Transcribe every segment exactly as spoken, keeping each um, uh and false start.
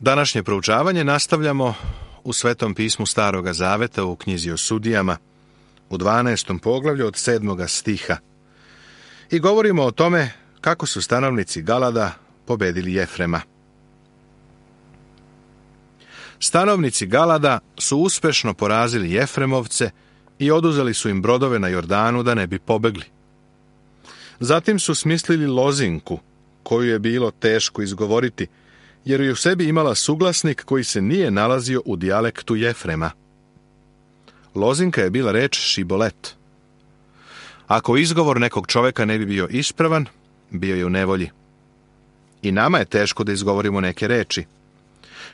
Današnje proučavanje nastavljamo u Svetom pismu Staroga Zaveta u knjizi o sudijama u dvanaestom poglavlju od sedmoga stiha i govorimo o tome kako su stanovnici Galada pobedili Jefrema. Stanovnici Galada su uspešno porazili Jefremovce i oduzeli su im brodove na Jordanu da ne bi pobegli. Zatim su smislili lozinku, koju je bilo teško izgovoriti, jer je u sebi imala suglasnik koji se nije nalazio u dijalektu Jefrema. Lozinka je bila reč šibolet. Ako izgovor nekog čoveka ne bi bio ispravan, bio je u nevolji. I nama je teško da izgovorimo neke reči.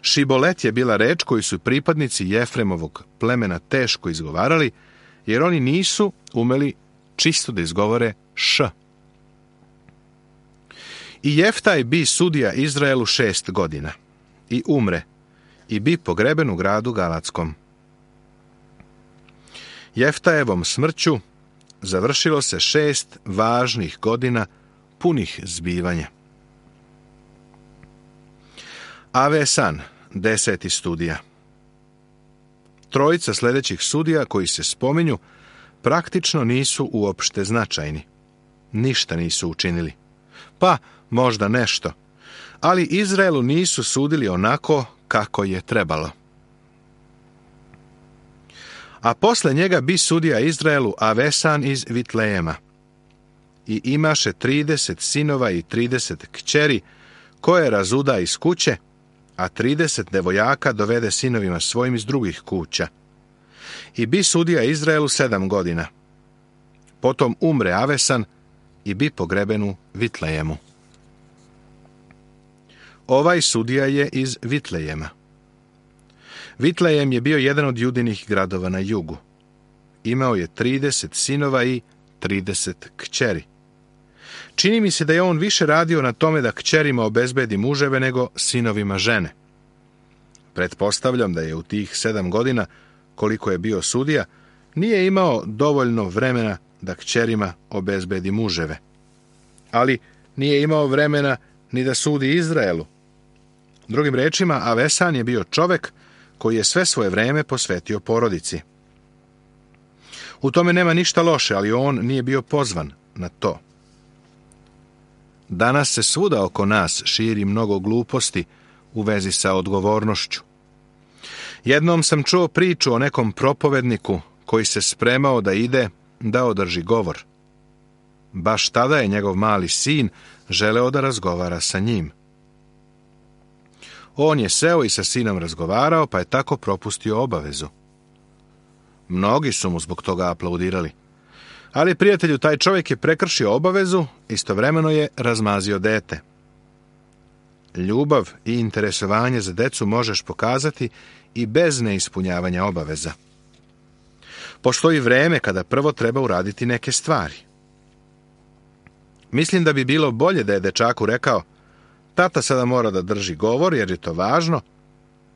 Šibolet je bila reč koju su pripadnici Jefremovog plemena teško izgovarali, jer oni nisu umeli čisto da izgovore š. I Jeftaj bi sudija Izraelu šest godina i umre i bi pogreben u gradu Galadskom. Jeftajevom smrću završilo se šest važnih godina punih zbivanja. Avesan, deseti studija. Trojica sljedećih sudija koji se spominju praktično nisu uopšte značajni. Ništa nisu učinili. Pa, možda nešto. Ali Izraelu nisu sudili onako kako je trebalo. A posle njega bi sudija Izraelu Avesan iz Vitlejema. I imaše trideset sinova i trideset kćeri, koje razuda iz kuće, a trideset devojaka dovede sinovima svojim iz drugih kuća. I bi sudija Izraelu sedam godina. Potom umre Avesan i bi pogreben u Vitlejemu. Ovaj sudija je iz Vitlejema. Vitlejem je bio jedan od judinih gradova na jugu. Imao je trideset sinova i trideset kćeri. Čini mi se da je on više radio na tome da kćerima obezbedi muževe nego sinovima žene. Pretpostavljam da je u tih sedam godina, koliko je bio sudija, nije imao dovoljno vremena da kćerima obezbedi muževe. Ali nije imao vremena ni da sudi Izraelu. Drugim rečima, Avesan je bio čovek koji je sve svoje vreme posvetio porodici. U tome nema ništa loše, ali on nije bio pozvan na to. Danas se svuda oko nas širi mnogo gluposti u vezi sa odgovornošću. Jednom sam čuo priču o nekom propovedniku koji se spremao da ide da održi govor. Baš tada je njegov mali sin želeo da razgovara sa njim. On je seo i sa sinom razgovarao, pa je tako propustio obavezu. Mnogi su mu zbog toga aplaudirali. Ali, prijatelju, taj čovjek je prekršio obavezu, istovremeno je razmazio dete. Ljubav i interesovanje za decu možeš pokazati i bez neispunjavanja obaveza. Postoji vreme kada prvo treba uraditi neke stvari. Mislim da bi bilo bolje da je dečaku rekao: tata sada mora da drži govor jer je to važno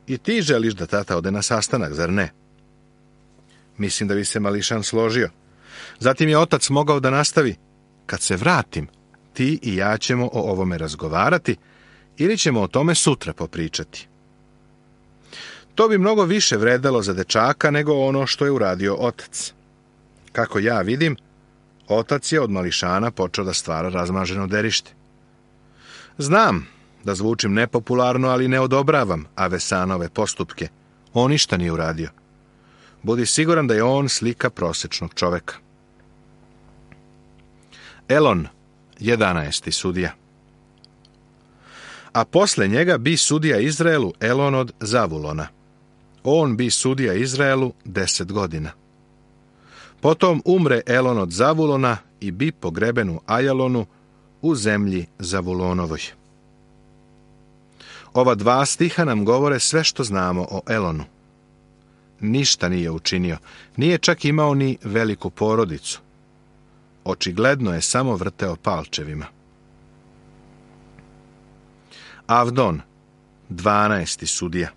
i ti želiš da tata ode na sastanak, zar ne? Mislim da bi se mališan složio. Zatim je otac mogao da nastavi: kad se vratim, ti i ja ćemo o ovome razgovarati ili ćemo o tome sutra popričati. To bi mnogo više vredelo za dečaka nego ono što je uradio otac. Kako ja vidim, otac je od mališana počeo da stvara razmaženo derište. Znam da zvučim nepopularno, ali ne odobravam Avesanove postupke. On ništa nije uradio. Budi siguran da je on slika prosečnog čoveka. Elon, jedanaesti sudija. A posle njega bi sudija Izraelu Elon od Zavulona. On bi sudija Izraelu deset godina. Potom umre Elon od Zavulona i bi pogreben u Ajalonu u zemlji Zavulonovoj. Ova dva stiha nam govore sve što znamo o Elonu. Ništa nije učinio, nije čak imao ni veliku porodicu. Očigledno je samo vrteo palčevima. Avdon, dvanaesti sudija.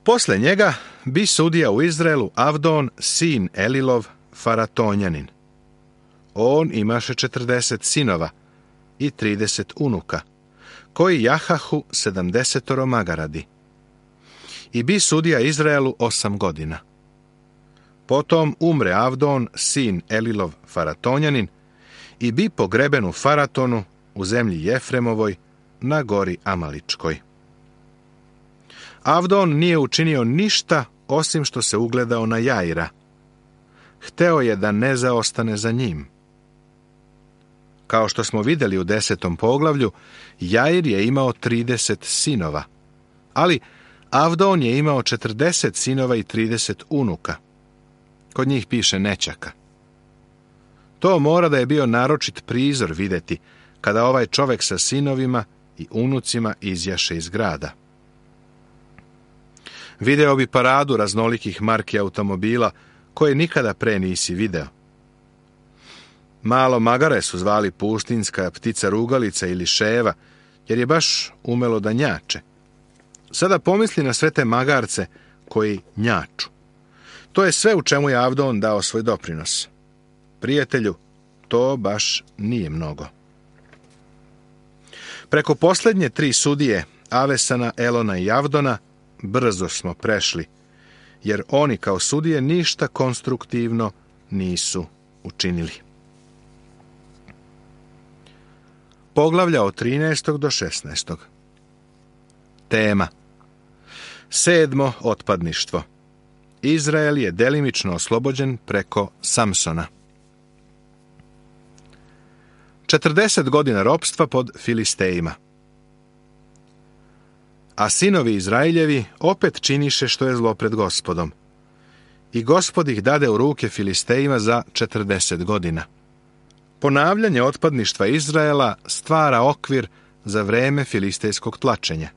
Posle njega bi sudija u Izraelu Avdon, sin Elilov, Faratonjanin. On imaše četrdeset sinova i trideset unuka, koji jahahu sedamdesetoro magaradi. I bi sudija Izraelu osam godina. Potom umre Avdon, sin Elilov Faratonjanin, i bi pogreben u Faratonu, u zemlji Jefremovoj, na gori Amaličkoj. Avdon nije učinio ništa osim što se ugledao na Jaira. Hteo je da ne zaostane za njim. Kao što smo vidjeli u desetom poglavlju, Jair je imao trideset sinova, ali Avdon je imao četrdeset sinova i trideset unuka. Kod njih piše nećaka. To mora da je bio naročit prizor vidjeti kada ovaj čovek sa sinovima i unucima izjaše iz grada. Video bi paradu raznolikih marki automobila koje nikada pre nisi video. Malo magare su zvali pustinska ptica rugalica ili ševa, jer je baš umelo da njače. Sada pomisli na sve te magarce koji njaču. To je sve u čemu je Avdon dao svoj doprinos. Prijatelju, to baš nije mnogo. Preko posljednje tri sudije, Avesana, Elona i Avdona, brzo smo prešli, jer oni kao sudije ništa konstruktivno nisu učinili. Poglavlja od trinaestog do šesnaestog. Tema. Sedmo otpadništvo. Izrael je delimično oslobođen preko Samsona. četrdeset godina ropstva pod Filistejima. A sinovi Izraeljevi opet činiše što je zlo pred Gospodom. I Gospod ih dade u ruke Filistejima za četrdeset godina. Ponavljanje otpadništva Izraela stvara okvir za vreme filistejskog tlačenja.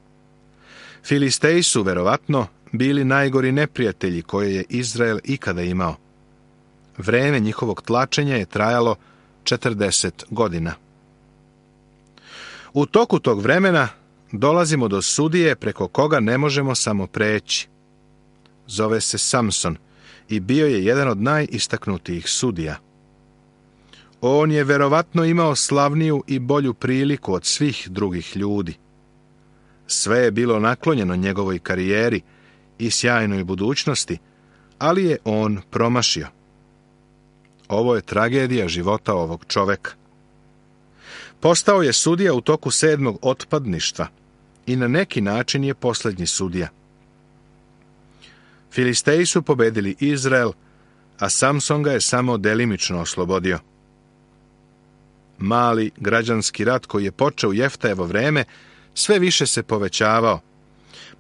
Filisteji su, verovatno, bili najgori neprijatelji koje je Izrael ikada imao. Vreme njihovog tlačenja je trajalo četrdeset godina. U toku tog vremena dolazimo do sudije preko koga ne možemo samo preći. Zove se Samson i bio je jedan od najistaknutijih sudija. On je verovatno imao slavniju i bolju priliku od svih drugih ljudi. Sve je bilo naklonjeno njegovoj karijeri i sjajnoj budućnosti, ali je on promašio. Ovo je tragedija života ovog čoveka. Postao je sudija u toku sedmog otpadništva i na neki način je posljednji sudija. Filisteji su pobedili Izrael, a Samson ga je samo delimično oslobodio. Mali građanski rat koji je počeo u Jeftajevo vreme sve više se povećavao,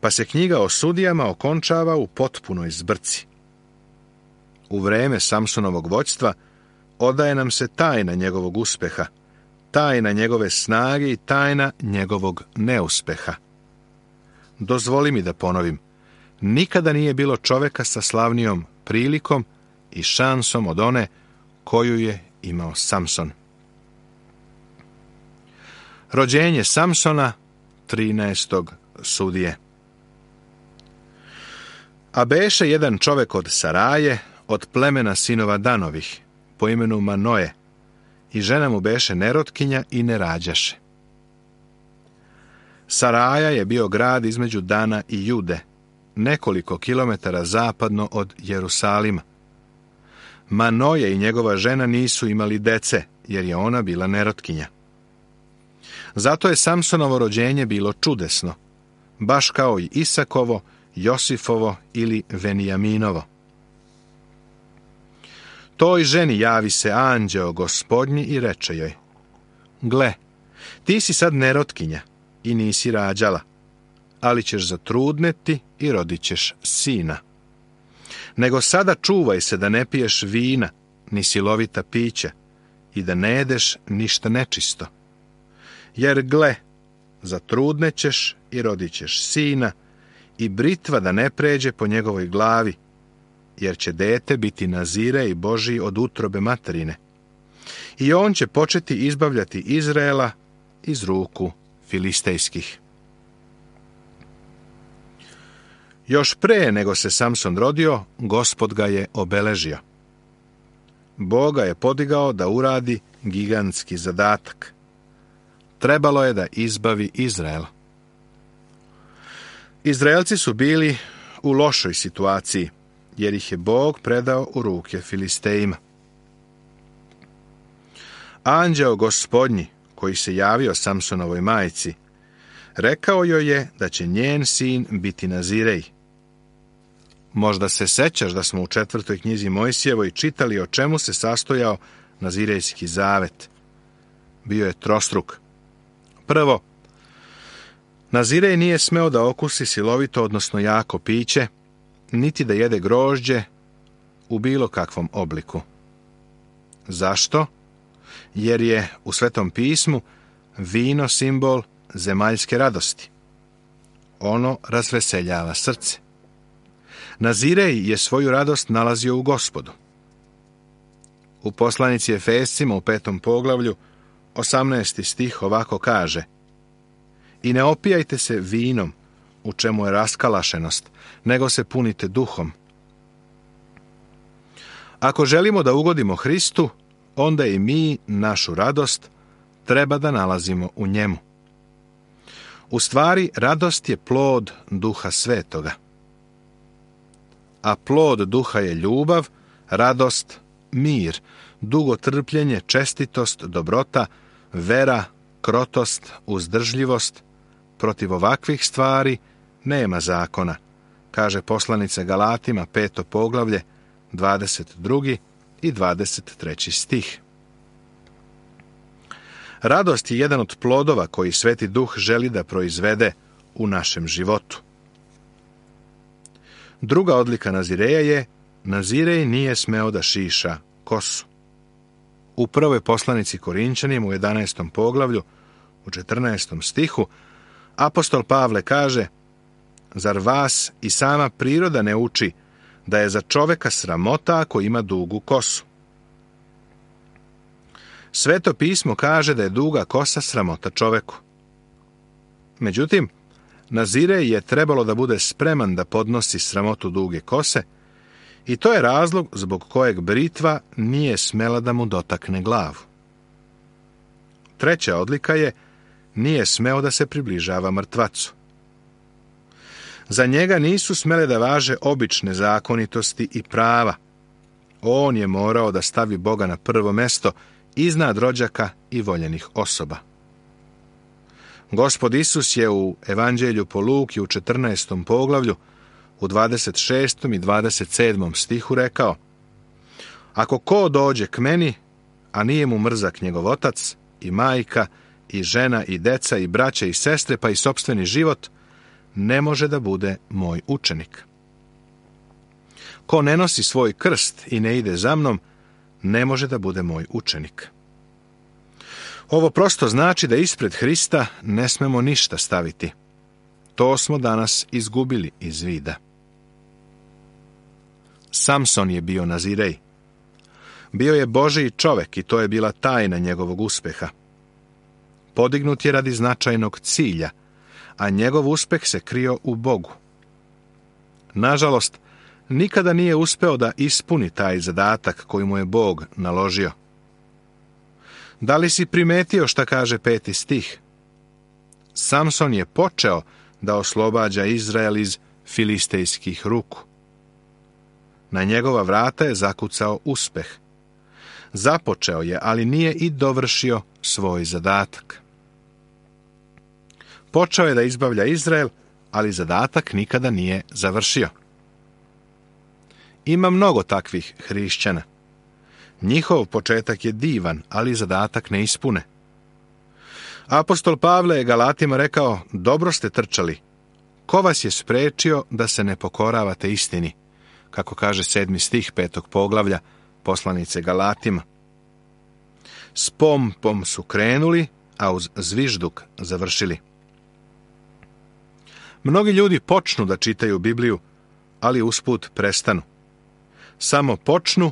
pa se knjiga o sudijama okončava u potpunoj zbrci. U vreme Samsonovog vođstva odaje nam se tajna njegovog uspeha, tajna njegove snage i tajna njegovog neuspeha. Dozvoli mi da ponovim, nikada nije bilo čoveka sa slavnijom prilikom i šansom od one koju je imao Samson. Rođenje Samsona, trinaestog sudije. A beše jedan čovek od Saraje, od plemena sinova Danovih, po imenu Manoje, i žena mu beše nerotkinja i ne rađaše. Saraja je bio grad između Dana i Jude, nekoliko kilometara zapadno od Jerusalima. Manoje i njegova žena nisu imali dece, jer je ona bila nerotkinja. Zato je Samsonovo rođenje bilo čudesno, baš kao i Isakovo, Josifovo ili Venijaminovo. Toj ženi javi se anđeo Gospodnji i reče joj: gle, ti si sad nerotkinja i nisi rađala, ali ćeš zatrudneti i rodit ćeš sina. Nego sada čuvaj se da ne piješ vina, ni silovita pića, i da ne jedeš ništa nečisto. Jer gle, zatrudnećeš i rodit ćeš sina, i britva da ne pređe po njegovoj glavi, jer će dete biti nazire i Božji od utrobe materine. I on će početi izbavljati Izraela iz ruku filistejskih. Još pre nego se Samson rodio, Gospod ga je obeležio. Bog ga je podigao da uradi gigantski zadatak. trebalo je da izbavi Izrael. Izraelci su bili u lošoj situaciji, jer ih je Bog predao u ruke Filistejima. Anđeo Gospodnji, koji se javio Samsonovoj majci, rekao joj je da će njen sin biti Nazirej. Možda se sećaš da smo u četvrtoj knjizi Mojsijevoj čitali o čemu se sastojao Nazirejski zavet. Bio je trostruk. Prvo, Nazirej nije smeo da okusi silovito, odnosno jako piće, niti da jede grožđe u bilo kakvom obliku. Zašto? Jer je u Svetom pismu vino simbol zemaljske radosti. Ono razveseljava srce. Nazirej je svoju radost nalazio u Gospodu. U poslanici Efescima u petom poglavlju, osamnaesti stih ovako kaže: I ne opijajte se vinom, u čemu je raskalašenost, nego se punite duhom. Ako želimo da ugodimo Hristu, onda i mi našu radost treba da nalazimo u njemu. U stvari, radost je plod Duha Svetoga. A plod Duha je ljubav, radost, mir, dugotrpljenje, čestitost, dobrota, vera, krotost, uzdržljivost. Protiv ovakvih stvari nema zakona, kaže poslanica Galatima, peto poglavlje, dvadeset drugi i dvadeset treći stih. Radost je jedan od plodova koji Sveti Duh želi da proizvede u našem životu. Druga odlika Nazireja je: Nazirej nije smeo da šiša kosu. U prvoj poslanici Korinčanima u jedanaestom poglavlju, u četrnaestom stihu, apostol Pavle kaže: Zar vas i sama priroda ne uči da je za čoveka sramota ako ima dugu kosu? Sveto pismo kaže da je duga kosa sramota čoveku. Međutim, Nazirej je trebalo da bude spreman da podnosi sramotu duge kose, i to je razlog zbog kojeg britva nije smela da mu dotakne glavu. Treća odlika je: nije smeo da se približava mrtvacu. Za njega nisu smele da važe obične zakonitosti i prava. On je morao da stavi Boga na prvo mesto iznad rođaka i voljenih osoba. Gospod Isus je u Evanđelju po Luki u četrnaestom poglavlju u dvadeset šestom i dvadeset sedmom stihu rekao: Ako ko dođe k meni, a nije mu mrzak njegov otac i majka i žena i deca i braća i sestre pa i sopstveni život, ne može da bude moj učenik. Ko ne nosi svoj krst i ne ide za mnom, ne može da bude moj učenik. Ovo prosto znači da ispred Hrista ne smemo ništa staviti. To smo danas izgubili iz vida. Samson je bio Nazirej. Bio je Božiji čovek i to je bila tajna njegovog uspeha. Podignut je radi značajnog cilja, a njegov uspeh se krio u Bogu. Nažalost, nikada nije uspeo da ispuni taj zadatak koji mu je Bog naložio. Da li si primetio šta kaže peti stih? Samson je počeo da oslobađa Izrael iz filistejskih ruku. Na njegova vrata je zakucao uspeh. Započeo je, ali nije i dovršio svoj zadatak. Počeo je da izbavlja Izrael, ali zadatak nikada nije završio. Ima mnogo takvih hrišćana. Njihov početak je divan, ali zadatak ne ispune. Apostol Pavle je Galatima rekao: dobro ste trčali. Ko vas je sprečio da se ne pokoravate istini? Kako kaže sedmi stih petog poglavlja poslanice Galatima. S pompom su krenuli, a uz zvižduk završili. Mnogi ljudi počnu da čitaju Bibliju, ali usput prestanu. Samo počnu,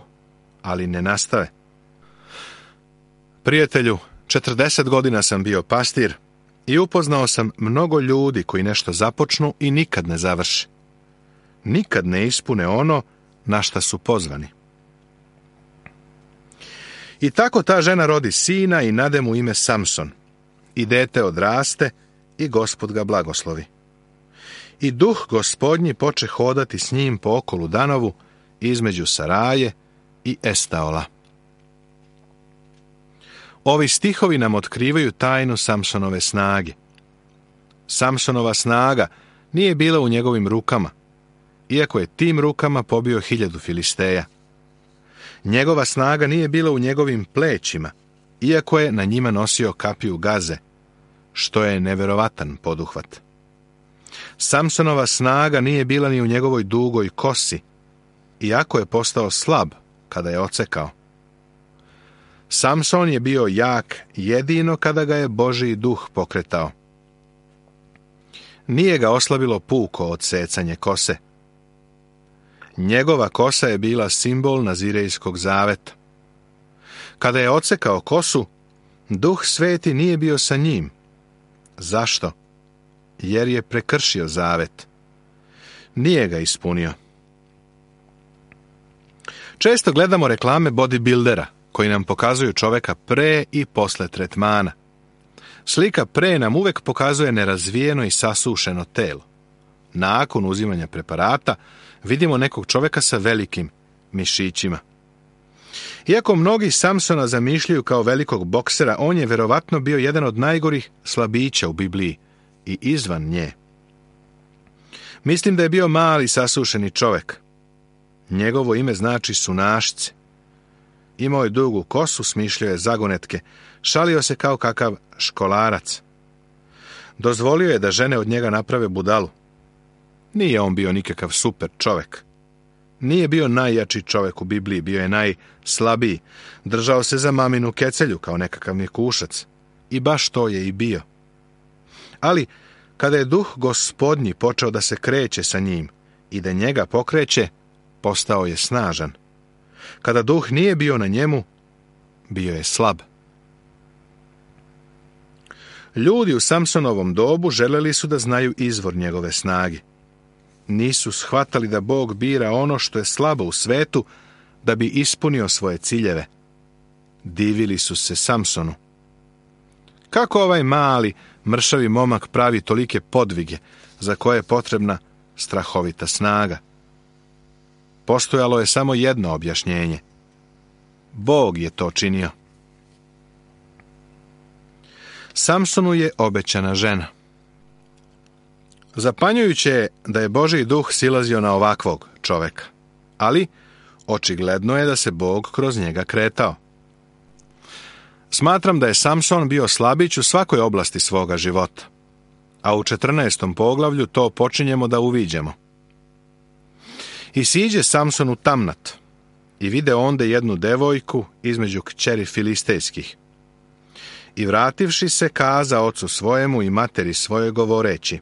ali ne nastave. Prijatelju, četrdeset godina sam bio pastir i upoznao sam mnogo ljudi koji nešto započnu i nikad ne završe. Nikad ne ispune ono na šta su pozvani. I tako ta žena rodi sina i nade mu ime Samson. i dete odraste i Gospod ga blagoslovi. I duh Gospodnji poče hodati s njim po okolu Danovu između Saraje i Estaola. Ovi stihovi nam otkrivaju tajnu Samsonove snage. Samsonova snaga nije bila u njegovim rukama, iako je tim rukama pobio hiljadu Filisteja. Njegova snaga nije bila u njegovim plećima, iako je na njima nosio kapiju gaze, što je neverovatan poduhvat. Samsonova snaga nije bila ni u njegovoj dugoj kosi, iako je postao slab kada je ocekao. Samson je bio jak jedino kada ga je Božji duh pokretao. Nije ga oslabilo puko odsecanje kose. Njegova kosa je bila simbol Nazirejskog zaveta. Kada je odsekao kosu, Duh Sveti nije bio sa njim. Zašto? Jer je prekršio zavet. Nije ga ispunio. Često gledamo reklame bodybuildera koji nam pokazuju čoveka pre i posle tretmana. Slika pre nam uvek pokazuje nerazvijeno i sasušeno telo. Nakon uzimanja preparata vidimo nekog čoveka sa velikim mišićima. Iako mnogi Samsona zamišljaju kao velikog boksera, on je verovatno bio jedan od najgorih slabića u Bibliji i izvan nje. Mislim da je bio mali sasušeni čovek. Njegovo ime znači sunašce. Imao je dugu kosu, smišljao je zagonetke, šalio se kao kakav školarac. Dozvolio je da žene od njega naprave budalu. Nije on bio nikakav super čovek. Nije bio najjači čovek u Bibliji, bio je najslabiji. Držao se za maminu kecelju kao nekakav mikušac. I baš to je i bio. Ali, kada je duh Gospodnji počeo da se kreće sa njim i da njega pokreće, postao je snažan. Kada duh nije bio na njemu, bio je slab. Ljudi u Samsonovom dobu želeli su da znaju izvor njegove snage. Nisu shvatali da Bog bira ono što je slabo u svetu da bi ispunio svoje ciljeve. Divili su se Samsonu. Kako ovaj mali, mršavi momak pravi tolike podvige za koje je potrebna strahovita snaga? Postojalo je samo jedno objašnjenje. Bog je to činio. Samsonu je obećana žena. Zapanjujuće je da je Božji duh silazio na ovakvog čoveka, ali očigledno je da se Bog kroz njega kretao. Smatram da je Samson bio slabić u svakoj oblasti svoga života, a u četrnaestom poglavlju to počinjemo da uviđemo. I siđe Samson u Tamnat i vide onde jednu devojku između kćeri filistejskih. I vrativši se, kaza ocu svojemu i materi svoje govoreći: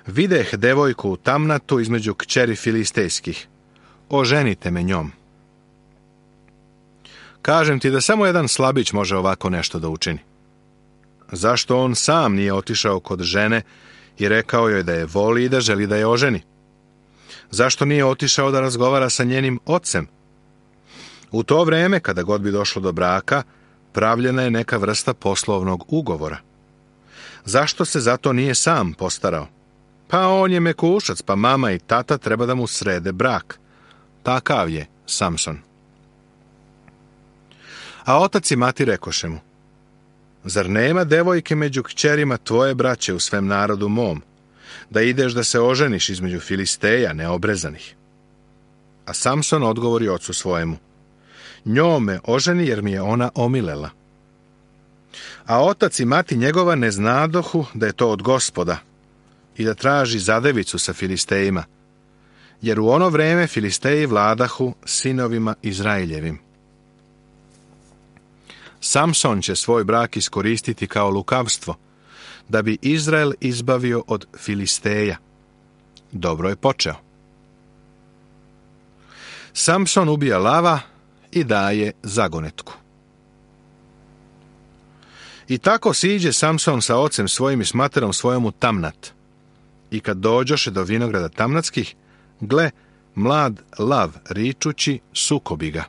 videh devojku u Tamnatu između kćeri filistejskih, oženite me njom. Kažem ti da samo jedan slabić može ovako nešto da učini. Zašto on sam nije otišao kod žene i rekao joj da je voli i da želi da je oženi? Zašto nije otišao da razgovara sa njenim ocem? U to vreme, kada god bi došlo do braka, pravljena je neka vrsta poslovnog ugovora. Zašto se zato nije sam postarao? Pa on je mekušac, pa mama i tata treba da mu srede brak. Takav je Samson. A otac i mati rekoše mu: zar nema devojke među kćerima tvoje braće u svem narodu mom, da ideš da se oženiš između Filisteja neobrezanih? A Samson odgovori ocu svojemu: njome oženi jer mi je ona omilela. A otac i mati njegova ne znadohu da je to od Gospoda i da traži zadevicu sa Filistejima, jer u ono vreme Filisteji vladahu sinovima Izraeljevim. Samson će svoj brak iskoristiti kao lukavstvo, da bi Izrael izbavio od Filisteja. Dobro je počeo. Samson ubija lava i daje zagonetku. I tako siđe Samson sa ocem svojim i s materom svojom u Tamnat. I kad dođoše do vinograda tamnatskih, gle, mlad lav ričući sukobi ga.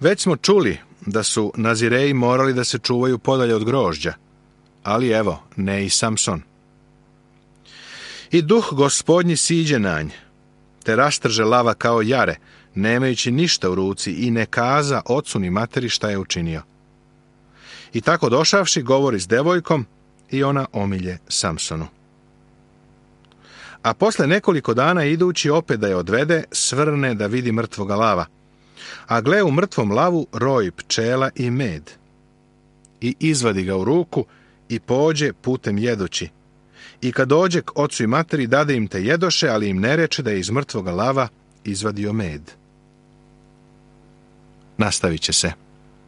Već smo čuli da su Nazireji morali da se čuvaju podalje od grožđa, ali evo, ne i Samson. I duh gospodnji siđe na nj, te rastrže lava kao jare, nemajući ništa u ruci, i ne kaza ocu ni materi šta je učinio. I tako došavši, govori s devojkom i ona omilje Samsonu. A posle nekoliko dana idući opet da je odvede, svrne da vidi mrtvoga lava. A gle, u mrtvom lavu roj pčela i med. I izvadi ga u ruku i pođe putem jedući. I kad dođe k ocu i materi, dade im te jedoše, ali im ne reče da je iz mrtvoga lava izvadio med. Nastavit će se.